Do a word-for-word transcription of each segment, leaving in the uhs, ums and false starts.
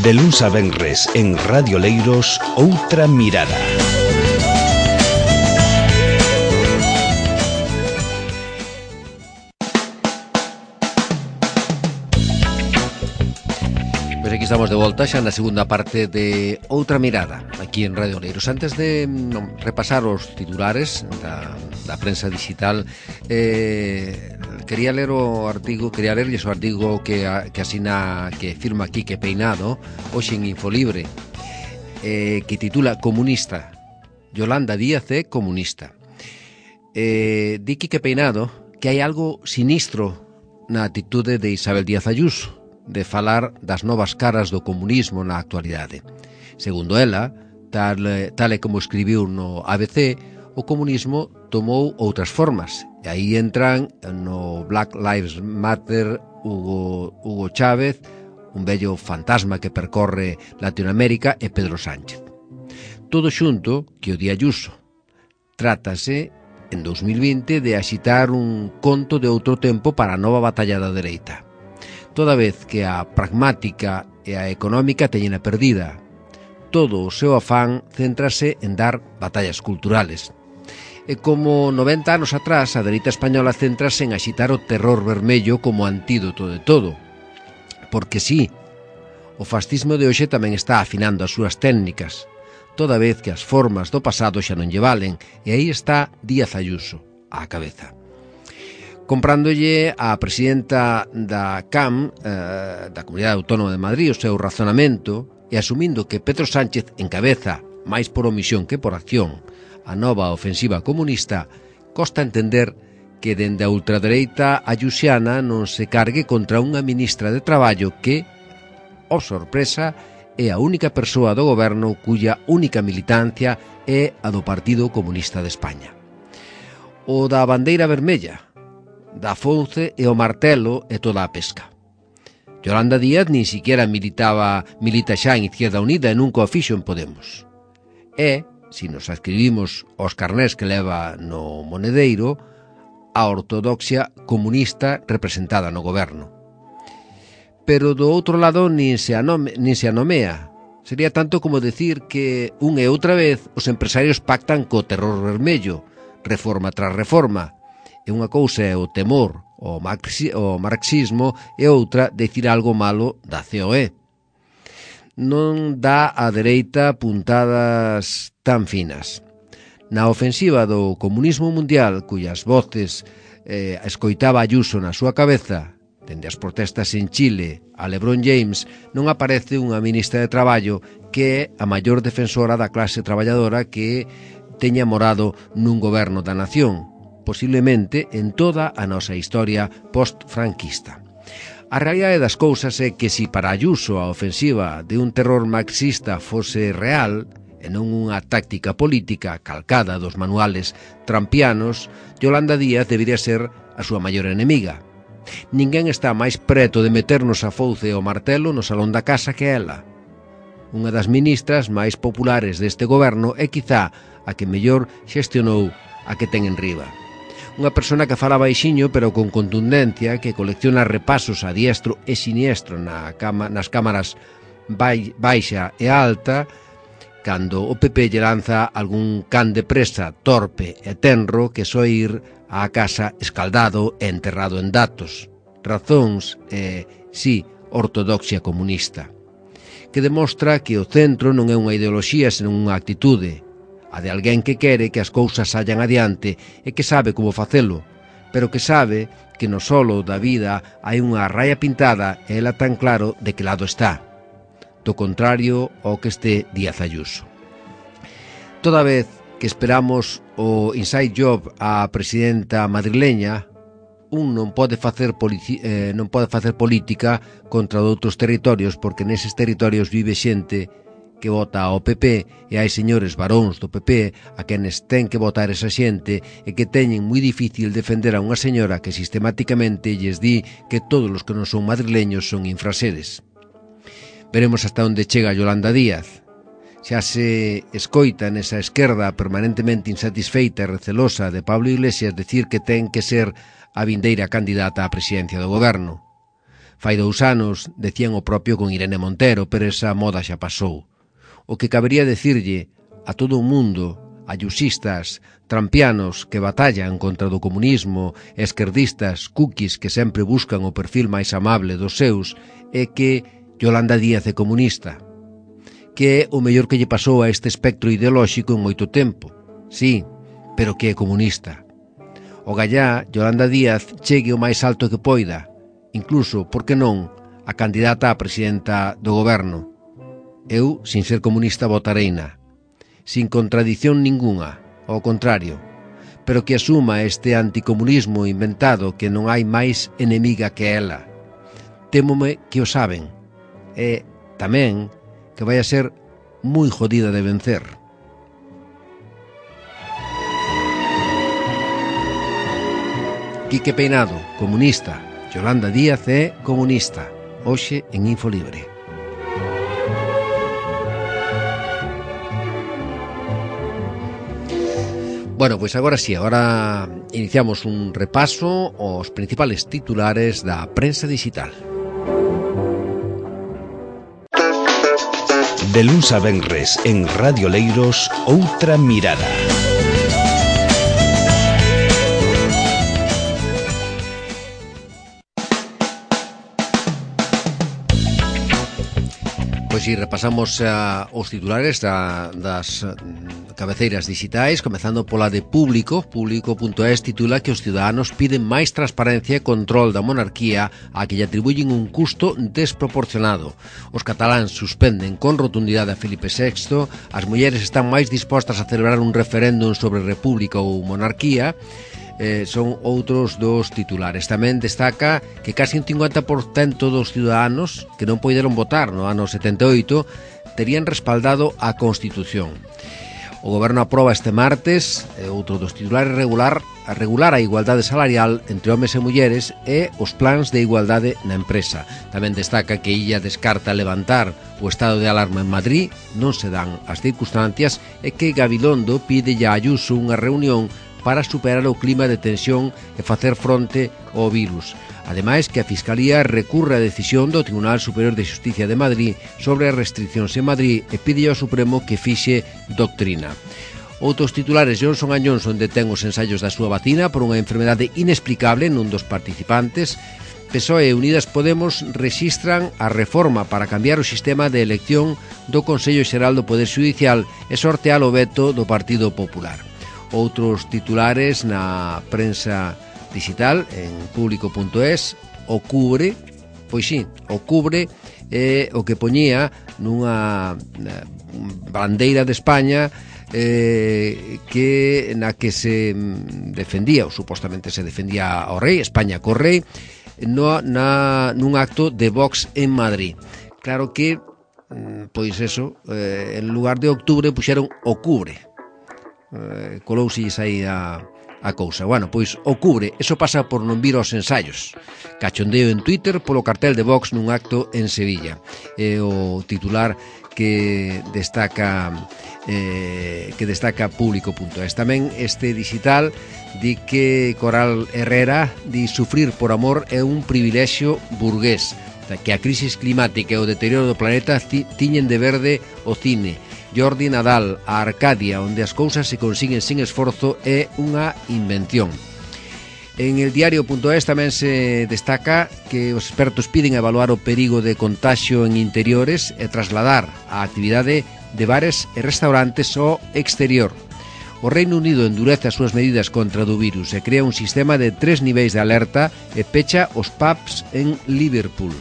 De luns a venres en Radio Leiros, Outra Mirada. Pois aquí estamos de volta xa na segunda parte de Outra Mirada, aquí en Radio Leiros. Antes de non, repasar os titulares da, da prensa digital, eh, quería ler o artigo, quería lerlles o artigo que, que asina, que firma Quique Peinado, hoxe en Infolibre, eh, que titula Comunista. Yolanda Díaz é comunista. Eh, di Quique Peinado que hai algo sinistro na atitude de Isabel Díaz Ayuso, de falar das novas caras do comunismo na actualidade. Segundo ela, tal, tal e como escribiu no A B C, o comunismo tomou outras formas, e aí entran no Black Lives Matter Hugo, Hugo Chávez, un vello fantasma que percorre Latinoamérica, e Pedro Sánchez. Todo xunto que o di Ayuso. Trátase, en dous mil vinte, de axitar un conto de outro tempo para a nova batalla da dereita. Toda vez que a pragmática e a económica teñen a perdida. Todo o seu afán céntrase en dar batallas culturales. E como noventa anos atrás, a dereita española céntrase en axitar o terror vermello como antídoto de todo. Porque sí, o fascismo de hoxe tamén está afinando as súas técnicas, toda vez que as formas do pasado xa non lle valen, e aí está Díaz Ayuso, á cabeza. Comprándolle a presidenta da C A M, eh, da Comunidade Autónoma de Madrid, o seu razonamento, e asumindo que Pedro Sánchez encabeza, máis por omisión que por acción, a nova ofensiva comunista, costa entender que dende a ultradereita ayusiana non se cargue contra unha ministra de Traballo que, oh sorpresa, é a única persoa do goberno cuya única militancia é a do Partido Comunista de España. O da bandeira vermella, da fouce e o martelo e toda a pesca. Yolanda Díaz nin siquiera militaba, milita xa en Izquierda Unida e nunca o fixo en Podemos. E, se nos adscribimos aos carnés que leva no monedeiro, a ortodoxia comunista representada no goberno. Pero do outro lado nin se, anome, nin se anomea. Sería tanto como decir que un e outra vez os empresarios pactan co terror vermello, reforma tras reforma. E unha cousa é o temor, o, marxi, o marxismo, e outra decir algo malo da C O E. Non dá a dereita puntadas tan finas. Na ofensiva do comunismo mundial, cuyas voces eh, escoitaba Ayuso na súa cabeza, dende as protestas en Chile a LeBron James, non aparece unha ministra de Traballo que é a maior defensora da clase traballadora que teña morado nun goberno da nación, posiblemente en toda a nosa historia post-franquista. A realidade das cousas é que si para Ayuso a ofensiva de un terror marxista fose real, e non unha táctica política calcada dos manuales trampianos, Yolanda Díaz debería ser a súa maior enemiga. Ninguén está máis preto de meternos a fouce e o martelo no salón da casa que ela. Unha das ministras máis populares deste goberno é quizá a que mellor xestionou a que ten en riba. Unha persona que fala baixiño pero con contundencia, que colecciona repasos a diestro e siniestro na cama, nas cámaras bai, baixa e alta, cando o P P lle lanza algún can de presa torpe e tenro que só ir á casa escaldado e enterrado en datos, razóns e, sí, ortodoxia comunista, que demostra que o centro non é unha ideoloxía senón unha actitude, a de alguén que quere que as cousas sallan adiante e que sabe como facelo, pero que sabe que no solo da vida hai unha raia pintada e ela tan claro de que lado está, do contrario ao que este Díaz Ayuso. Toda vez que esperamos o inside job á presidenta madrileña, un non pode facer polici- eh, non pode facer política contra outros territorios, porque neses territorios vive xente que vota ao P P e hai señores varóns do P P a quenes ten que votar esa xente e que teñen moi difícil defender a unha señora que sistemáticamente lles di que todos os que non son madrileños son infraseres. Veremos hasta onde chega Yolanda Díaz. Xa se escoita nesa esquerda permanentemente insatisfeita e recelosa de Pablo Iglesias decir que ten que ser a vindeira candidata á presidencia do goberno. Fai dous anos decían o propio con Irene Montero, pero esa moda xa pasou. O que cabería decirlle a todo o mundo, ayusistas, trampianos que batallan contra do comunismo, esquerdistas, cookies que sempre buscan o perfil máis amable dos seus, é que Yolanda Díaz é comunista, que é o mellor que lle pasou a este espectro ideolóxico en moito tempo. Sí, pero que é comunista. O gallá, Yolanda Díaz, chegue o máis alto que poida, incluso, por que non, a candidata a presidenta do goberno. Eu, sin ser comunista, votareina, sin contradición ningunha, ao contrario, pero que asuma este anticomunismo inventado que non hai máis enemiga que ela. Témome que o saben, e tamén que vai a ser moi jodida de vencer. Quique Peinado, comunista. Yolanda Díaz é comunista. Hoxe en Infolibre. Bueno, pois agora sí, agora iniciamos un repaso aos principales titulares da prensa digital. De luns a venres en Radio Leiros, Outra Mirada. Pois si repasamos uh, os titulares da, das uh, cabeceiras digitais, comezando pola de Público. Público punto es titula que os ciudadanos piden máis transparencia e control da monarquía a que lle atribuyen un custo desproporcionado. Os cataláns suspenden con rotundidade a Felipe sexto, as mulleres están máis dispostas a celebrar un referéndum sobre república ou monarquía. Eh, son outros dos titulares. Tamén destaca que casi un cincuenta por cento dos ciudadanos que non poideron votar no ano setenta e oito terían respaldado a Constitución. O Goberno aproba este martes, eh, outro dos titulares, regular a regular a igualdade salarial entre homes e mulleres e os plans de igualdade na empresa. Tamén destaca que Illa descarta levantar o estado de alarma en Madrid, non se dan as circunstancias, e que Gabilondo pide a Ayuso unha reunión para superar o clima de tensión e facer fronte ao virus. Ademais, que a Fiscalía recurre a decisión do Tribunal Superior de Xusticia de Madrid sobre as restriccións en Madrid e pide ao Supremo que fixe doctrina. Outros titulares: Johnson and Johnson detén os ensaios da súa vacina por unha enfermedade inexplicable nun dos participantes. P S O E e Unidas Podemos rexistran a reforma para cambiar o sistema de elección do Consello Xeral do Poder Xudicial e sortear o veto do Partido Popular. Outros titulares na prensa digital en Público punto es: o cubre, pois sí, o cubre é o que poñía nunha bandeira de España eh, que na que se defendía, ou supostamente se defendía ao rei, España co rei, no, na, nun acto de Vox en Madrid. Claro que, pois eso, eh, en lugar de octubre puxeron o cubre. Eh, colouselles aí a, a cousa. Bueno, pois o cubre, eso pasa por non vir aos ensaios. Cachondeo en Twitter polo cartel de Vox nun acto en Sevilla. É o titular que destaca eh, que destaca Público punto es. Tamén este digital di que Coral Herrera di sufrir por amor é un privilexio burgués, que a crisis climática e o deterioro do planeta tiñen de verde o cine. Jordi Nadal, a Arcadia, onde as cousas se consiguen sin esforzo, é unha invención. En el diario punto es tamén se destaca que os expertos piden evaluar o perigo de contagio en interiores e trasladar a actividade de bares e restaurantes ao exterior. O Reino Unido endurece as súas medidas contra o virus e crea un sistema de tres niveis de alerta e pecha os pubs en Liverpool.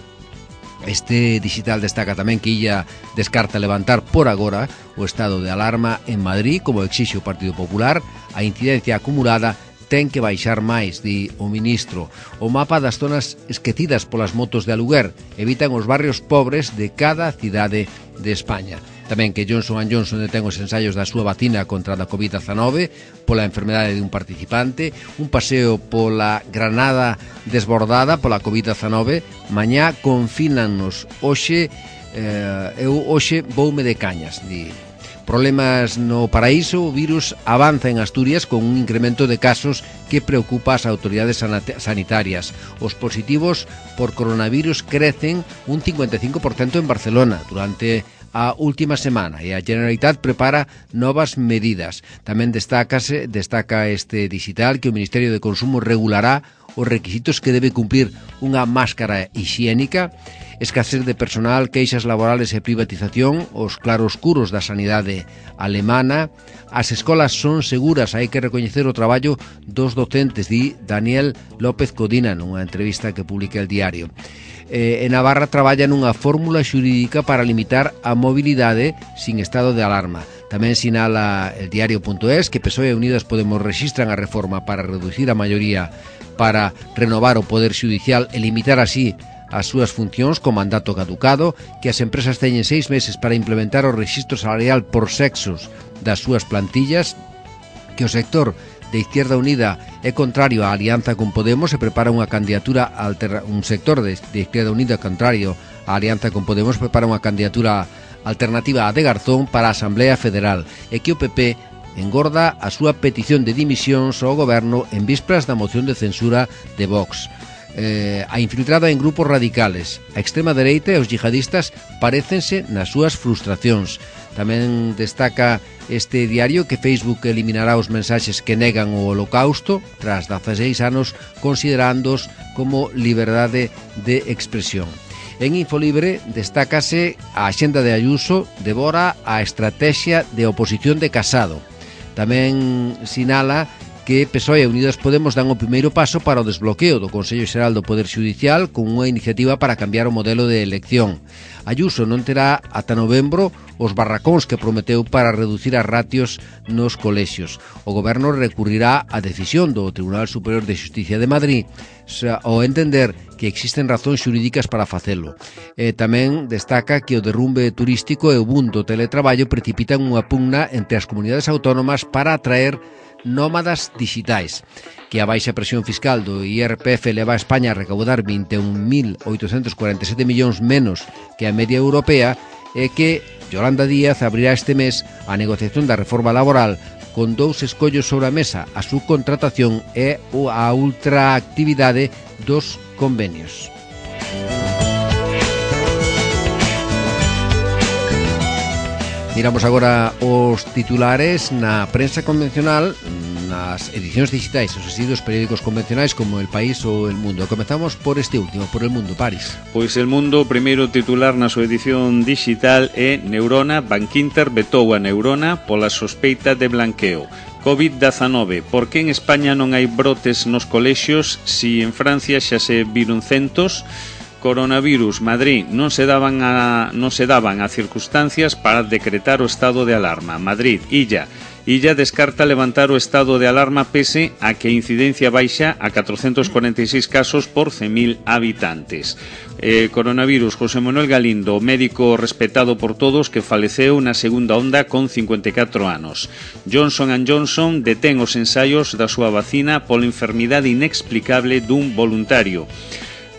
Este digital destaca tamén que Illa descarta levantar por agora o estado de alarma en Madrid, como exixe o Partido Popular. A incidencia acumulada ten que baixar máis, di o ministro. O mapa das zonas esquecidas polas motos de aluguer evitan os barrios pobres de cada cidade de España. Tamén que Johnson and Johnson detén os ensaios da súa vacina contra a covid dezenove pola enfermedade de un participante. Un paseo pola Granada desbordada pola covid dezenove. Mañá confínannos. Hoxe, eh, eu hoxe voume de cañas, di. Problemas no paraíso, o virus avanza en Asturias con un incremento de casos que preocupa ás autoridades sanitarias. Os positivos por coronavirus crecen un cincuenta e cinco por cento en Barcelona durante a última semana e a Generalitat prepara novas medidas. Tamén destácase, destaca este digital que o Ministerio de Consumo regulará os requisitos que debe cumplir unha máscara hixiénica, escasez de personal, queixas laborales e privatización, os claroscuros da sanidade alemana. As escolas son seguras, hai que recoñecer o traballo dos docentes, di Daniel López Codina nunha entrevista que publica el diario. Eh, en Navarra traballa nunha fórmula xurídica para limitar a mobilidade sin estado de alarma. Tamén sinala el diario punto es que P S O E e Unidas Podemos rexistran a reforma para reducir a maioría para renovar o poder xudicial e limitar así as súas funcións con mandato caducado, que as empresas teñen seis meses para implementar o rexistro salarial por sexos das súas plantillas, que o sector de Izquierda Unida é contrario á alianza con Podemos e prepara unha candidatura alterna, un sector de, de Izquierda Unida contrario á alianza con Podemos prepara unha candidatura alternativa a de Garzón para a Asamblea Federal e que o P P engorda a súa petición de dimisións ao goberno en vísperas da moción de censura de Vox. Eh, a infiltrada en grupos radicales, a extrema dereita e os yihadistas parécense nas súas frustracións. Tamén destaca este diario que Facebook eliminará os mensaxes que negan o holocausto tras dezaseis anos considerándoos como liberdade de expresión. En Infolibre destácase a axenda de Ayuso devora a estrategia de oposición de Casado. Tamén sinala que P S O E e Unidas Podemos dan o primeiro paso para o desbloqueo do Consello Xeral do Poder Xudicial con unha iniciativa para cambiar o modelo de elección. Ayuso non terá ata novembro os barracóns que prometeu para reducir as ratios nos colexios. O goberno recurrirá á decisión do Tribunal Superior de Xusticia de Madrid ao entender que existen razóns xurídicas para facelo. E tamén destaca que o derrumbe turístico e o boom do teletraballo precipitan unha pugna entre as comunidades autónomas para atraer nómadas digitais, que a baixa presión fiscal do I R P F leva a España a recaudar vinte e un mil oitocentos cuarenta e sete millóns menos que a media europea e que Yolanda Díaz abrirá este mes a negociación da reforma laboral con dous escollos sobre a mesa, a subcontratación e a ultraactividade dos convenios. Miramos agora os titulares na prensa convencional, nas edicións digitais, os asiduos periódicos convencionais como El País ou El Mundo. Comezamos por este último, por El Mundo, Paris. Pois El Mundo, o primeiro titular na súa edición digital é Neurona, Bankinter vetou a Neurona pola sospeita de blanqueo. covid dezanove, por que en España non hai brotes nos colexios si en Francia xa se viron centos? Coronavirus, Madrid, non se daban a non se daban a circunstancias para decretar o estado de alarma. Madrid, Illa, Illa descarta levantar o estado de alarma pese a que a incidencia baixa a catrocentos cuarenta e seis casos por cen mil habitantes. Eh, coronavirus, José Manuel Galindo, médico respetado por todos que faleceu na segunda onda con cincuenta e catro anos. Johnson and Johnson detén os ensaios da súa vacina pola enfermidade inexplicable dun voluntario.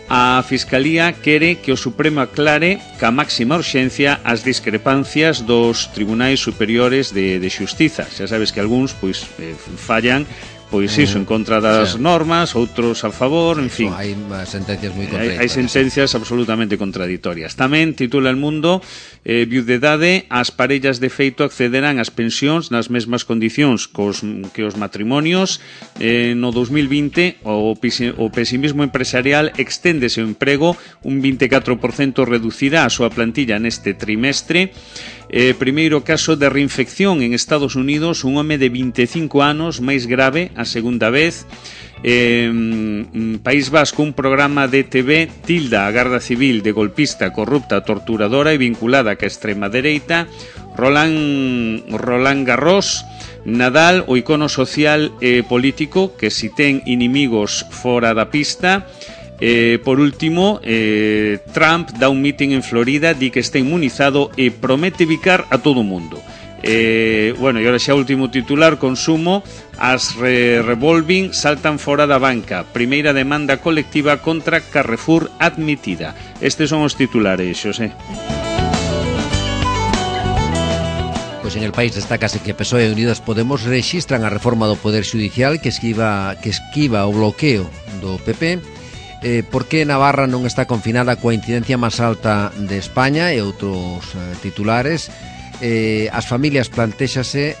A Fiscalía quere que o Supremo aclare ca máxima urxencia as discrepancias dos tribunais superiores de, de xustiza. Xa sabes que algúns pois eh, fallan pois iso, en contra das sí. normas, outros a favor, en fin. Hai sentencias moi contraditorias. Hai, hai sentencias absolutamente contraditorias. Tamén titula El Mundo, eh, viudedade, as parellas de feito accederán ás pensións nas mesmas condicións cos, que os matrimonios. Eh, no dos mil vinte, o, o pesimismo empresarial exténdese o emprego, un vinte e catro por cento reducirá a súa plantilla neste trimestre. Eh, primeiro caso de reinfección en Estados Unidos, un home de vinte e cinco anos, máis grave, a segunda vez. Eh, País Vasco, un programa de T V tilda a Garda Civil de golpista, corrupta, torturadora e vinculada ca extrema dereita. Roland, Roland Garros, Nadal, o icono social e político que si ten inimigos fora da pista. Eh, por último, eh, Trump dá un meeting en Florida, di que está inmunizado e promete bicar a todo o mundo. Eh, bueno, e ahora xa último titular, consumo, as re revolving saltan fora da banca, primeira demanda colectiva contra Carrefour admitida. Estes son os titulares, Xosé. Pois en El País destácase que P S O E e Unidas Podemos rexistran a reforma do Poder Xudicial que esquiva, que esquiva o bloqueo do P P, eh, porque Navarra non está confinada coa incidencia máis alta de España e outros eh, titulares. Eh, as familias plantéxase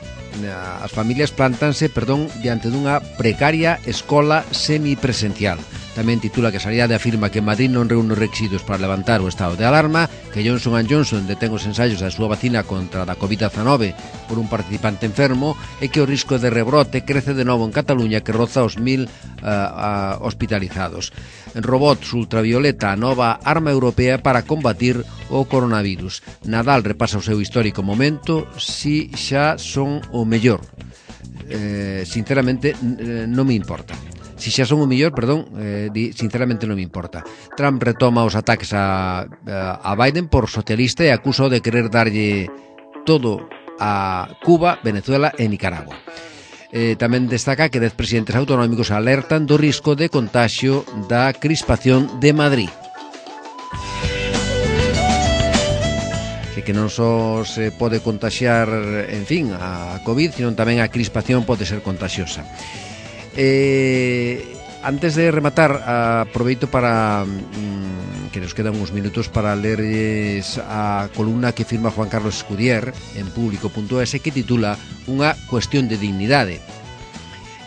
as familias plantanse, perdón, diante dunha precaria escola semipresencial. Tamén titula que a Sanidade afirma que Madrid non reúne requisitos para levantar o estado de alarma, que Johnson and Johnson detén os ensaios da súa vacina contra a covid dezenove por un participante enfermo e que o risco de rebrote crece de novo en Cataluña, que roza os mil uh, uh, hospitalizados. En robots ultravioleta, a nova arma europea para combatir o coronavirus. Nadal repasa o seu histórico momento, si xa son o mellor. Eh, sinceramente, eh, non me importa. Si xa son o mellor, perdón, eh, di, sinceramente non me importa. Trump retoma os ataques a, a Biden por socialista e acusa de querer darlle todo a Cuba, Venezuela e Nicaragua. Eh, tamén destaca que dez presidentes autonómicos alertan do risco de contagio da crispación de Madrid. Que non só se pode contaxiar, en fin, a COVID, sino tamén a crispación pode ser contagiosa. Eh, antes de rematar, aproveito para mm, que nos quedan uns minutos para lerles a columna que firma Juan Carlos Escudier en público punto es que titula Unha cuestión de dignidade.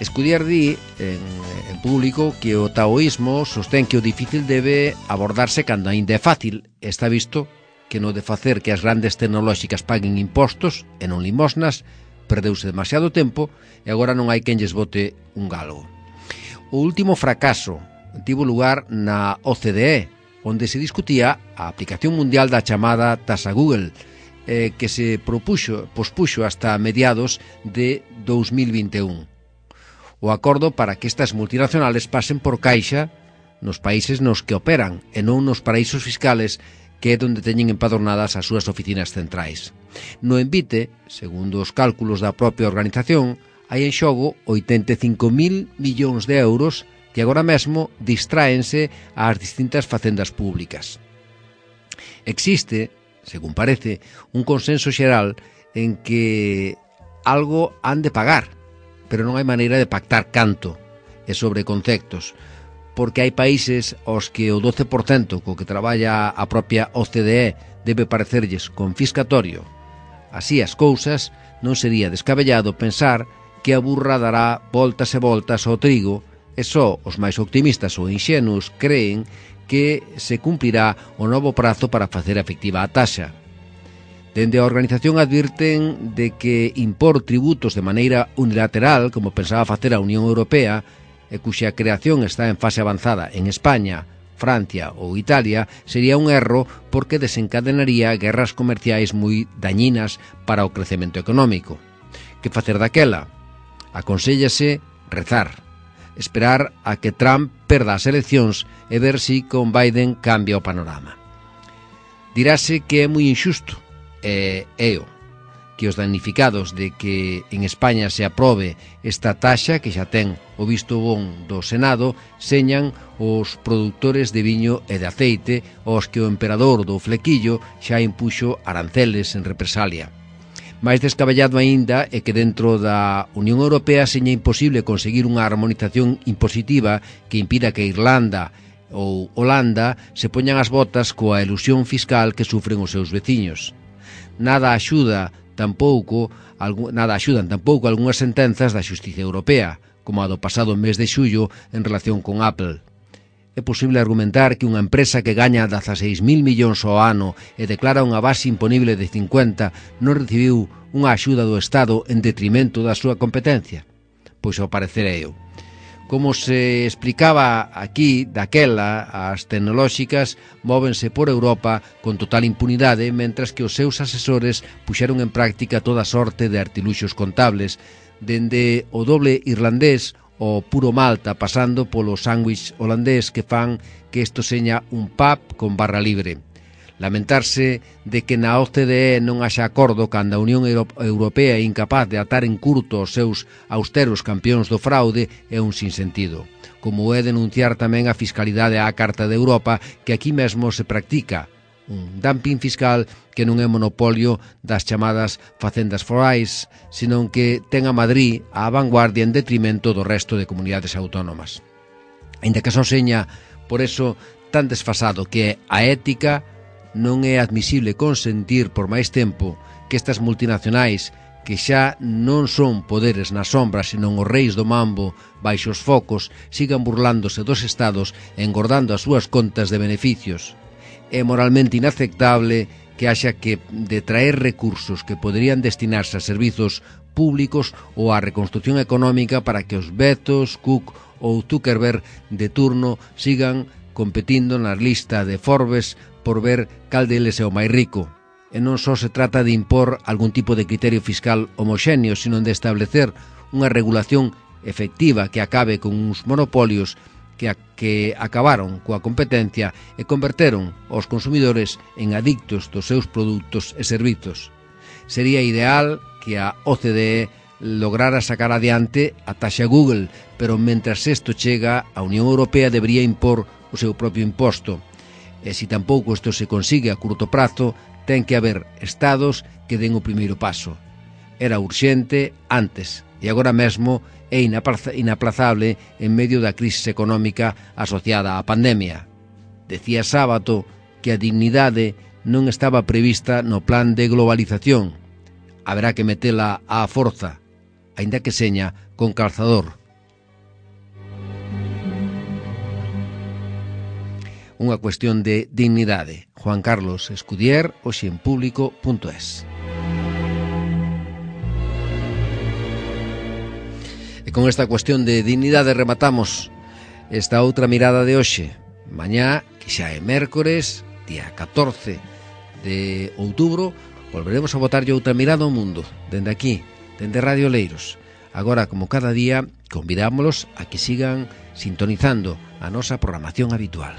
Escudier di en, en público que o taoísmo sostén que o difícil debe abordarse cando ainda é fácil. Está visto que no de facer que as grandes tecnolóxicas paguen impostos e non limosnas, perdeuse demasiado tempo e agora non hai quen lles bote un galgo. O último fracaso tivo lugar na O C D E, onde se discutía a aplicación mundial da chamada taxa Google, eh, que se propuxo, pospuxo hasta mediados de dos mil vinte e un. O acordo para que estas multinacionales pasen por caixa nos países nos que operan e non nos paraísos fiscales, que é onde teñen empadornadas as súas oficinas centrais. No envite, segundo os cálculos da propia organización, hai en xogo oitenta e cinco mil millóns de euros que agora mesmo distráense ás distintas facendas públicas. Existe, según parece, un consenso xeral en que algo han de pagar, pero non hai maneira de pactar canto e sobre conceptos, porque hai países aos que o doce por cento co que traballa a propia O C D E debe parecerlles confiscatorio. Así as cousas, non sería descabellado pensar que a burra dará voltas e voltas ao trigo e só os máis optimistas ou inxenuos creen que se cumplirá o novo prazo para facer efectiva a taxa. Dende a organización advirten de que impor tributos de maneira unilateral, como pensaba facer a Unión Europea, e cuxa creación está en fase avanzada en España, Francia ou Italia, sería un erro porque desencadenaría guerras comerciais moi dañinas para o crecemento económico. Que facer daquela? Aconsellase rezar, esperar a que Trump perda as eleccións e ver si con Biden cambia o panorama. Dirase que é moi injusto, e é o que os damnificados de que en España se aprobe esta taxa, que xa ten o visto bon do Senado, señan os produtores de viño e de aceite, aos que o emperador do flequillo xa impuxo aranceles en represalia. Mais descabellado aínda é que dentro da Unión Europea seña imposible conseguir unha armonización impositiva que impida que Irlanda ou Holanda se poñan as botas coa elusión fiscal que sufren os seus veciños. Nada axuda tampouco, nada axudan tampouco algunhas sentenzas da Xustiza Europea, como a do pasado mes de xullo en relación con Apple. É posible argumentar que unha empresa que gaña dezaseis mil millóns ao ano e declara unha base imponible de cincuenta non recibiu unha axuda do Estado en detrimento da súa competencia? Pois ao parecer é eu. Como se explicaba aquí, daquela, as tecnolóxicas móvense por Europa con total impunidade, mentras que os seus asesores puxeron en práctica toda sorte de artiluxos contables, dende o doble irlandés o puro Malta, pasando polo sándwich holandés que fan que isto seña un pub con barra libre. Lamentarse de que na O C D E non haxa acordo cando a Unión Europea é incapaz de atar en curto os seus austeros campións do fraude é un sinsentido, como é denunciar tamén a fiscalidade á Carta de Europa que aquí mesmo se practica, Un dumping fiscal que non é monopolio das chamadas facendas forais, senón que ten a Madrid á vanguardia en detrimento do resto de comunidades autónomas. Ainda que só seña, por eso, tan desfasado que é a ética, non é admisible consentir por máis tempo que estas multinacionais, que xa non son poderes na sombra, senón os reis do mambo baixo os focos, sigan burlándose dos estados e engordando as súas contas de beneficios. É moralmente inaceptable que haxa que detraer recursos que poderían destinarse a servizos públicos ou á reconstrucción económica para que os Bezos, Cook ou Zuckerberg de turno sigan competindo na lista de Forbes por ver cal deles é o máis rico. E non só se trata de impor algún tipo de criterio fiscal homoxéneo, sino de establecer unha regulación efectiva que acabe con uns monopolios que, a, que acabaron coa competencia e converteron os consumidores en adictos dos seus produtos e servizos. Sería ideal que a O C D E lograra sacar adiante a taxa Google, pero mentras isto chega, a Unión Europea debería impor o seu propio imposto. E se tampouco isto se consigue a curto prazo, ten que haber estados que den o primeiro paso. Era urxente antes e agora mesmo é inaplazable en medio da crise económica asociada á pandemia. Decía Sábato que a dignidade non estaba prevista no plan de globalización. Haberá que metela á forza, aínda que seña con calzador. Unha cuestión de dignidade. Juan Carlos Escudier, hoxe en público punto es. E con esta cuestión de dignidade rematamos esta outra mirada de hoxe. Mañá, que xa é mércores, día catorce de outubro, volveremos a botarlle outra mirada ao mundo, dende aquí, dende Radio Leiros. Agora, como cada día, convidámoslos a que sigan sintonizando a nosa programación habitual.